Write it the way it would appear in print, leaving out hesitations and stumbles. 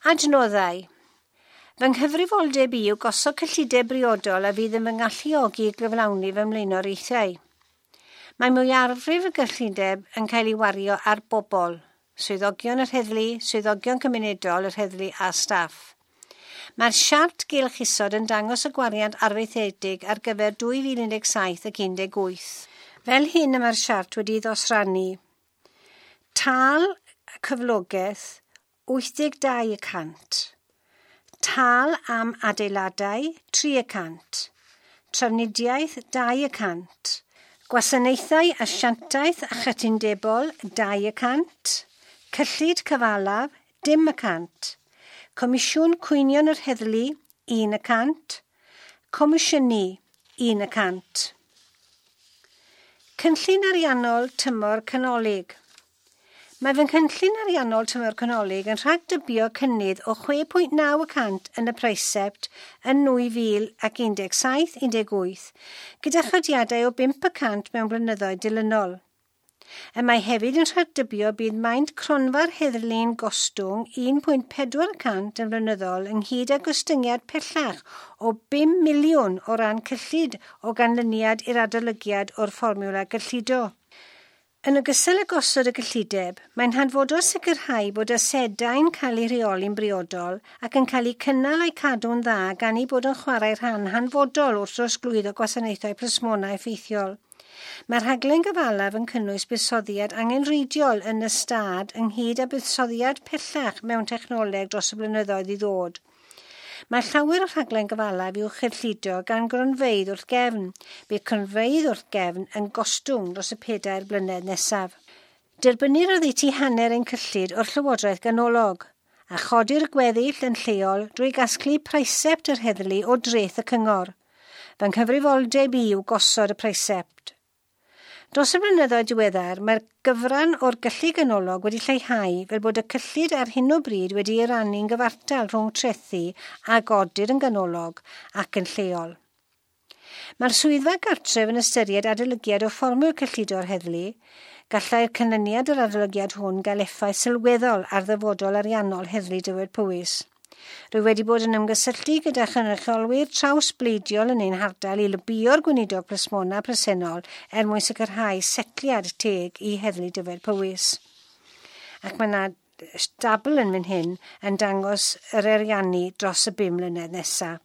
Adnoddau. Fy nghyfrifoldeb i yw gosod cyllideb briodol a fydd yn fy ngalluogi i gyflawni fy mlaenoriaethau. Mae mwyafrif y gyllideb yn cael ei wario ar bobl, swyddogion yr heddlu, swyddogion cymunedol yr heddlu a staff. Mae'r siart gylch isod yn dangos y gwariant arfaethedig ar gyfer 2017 ac 18. Fel hyn y mae'r siart wedi ddosrannu. Tâl cyflogaeth 82%. Tâl am adeiladau 3%. Trafnidiaeth 2%. Gwasanaethau asiantaeth a chytundebol 2%. Cyllid cyfalaf 0%. Comisiwn Cwynion yr Heddlu 1%. Comisiynu 1%. Cynllun ariannol tymor canolig. Mae fy nghynllun ariannol tymor canolig yn rhagdybio cynnydd o 6.9% yn y praesept yn 2017-18, gyda chodiadau o 5% mewn blynyddoedd dilynol. Y mae hefyd yn rhagdybio bydd maint cronfa'r heddlu'n gostwng 1.4% yn flynyddol ynghyd â gostyngiad pellach o 5 miliwn o ran cyllid o ganlyniad i'r adolygiad o'r fformiwla gyllido. Yn ogystal â gosod y gyllideb, mae'n hanfodol sicrhau bod asedau'n cael eu rheoli'n briodol ac yn cael eu cynnal a'u cadw'n dda gan eu bod yn chwarae rhan hanfodol wrth drosglwyddo gwasanaethau plismona effeithiol. Mae'r rhaglen gyfalaf yn cynnwys buddsoddiad angenrheidiol yn y stad ynghyd â buddsoddiad pellach mewn technoleg dros y blynyddoedd i ddod. Mae llawer o'r rhaglen gyfalaf i'w chyllido gan gronfeydd wrth gefn. Bydd cronfeydd wrth gefn yn gostwng dros y 4 blynedd nesaf. Derbynnir oddeutu hanner ein cyllid o'r Llywodraeth ganolog, a chodir gweddill yn lleol drwy gasglu praesept yr heddlu o dreth y cyngor. Fy nghyfrifoldeb i yw gosod y praesept. Dros y blynyddoedd diweddar, mae'r gyfran o'r gyllid ganolog wedi lleihau fel bod y cyllid ar hyn o bryd wedi ei rannu'n gyfartal rhwng trethi a godir yn ganolog ac yn lleol. Mae'r swyddfa gartref yn ystyried adolygiad o fformiwla cyllido'r heddlu. Gallai'r canlyniad o'r adolygiad hwn gael effaith sylweddol ar ddyfodol ariannol Heddlu Dyfed-Powys. Rwy wedi bod yn ymgysylltu gyda chynrychiolwyr trawsbleidiol yn ein hardal i lobïo'r gweinidog plismona presennol er mwyn sicrhau setliad teg i Heddlu Dyfed-Powys. Ac mae yna dabl yn fan hyn yn dangos yr ariannu dros y 5 mlynedd nesaf.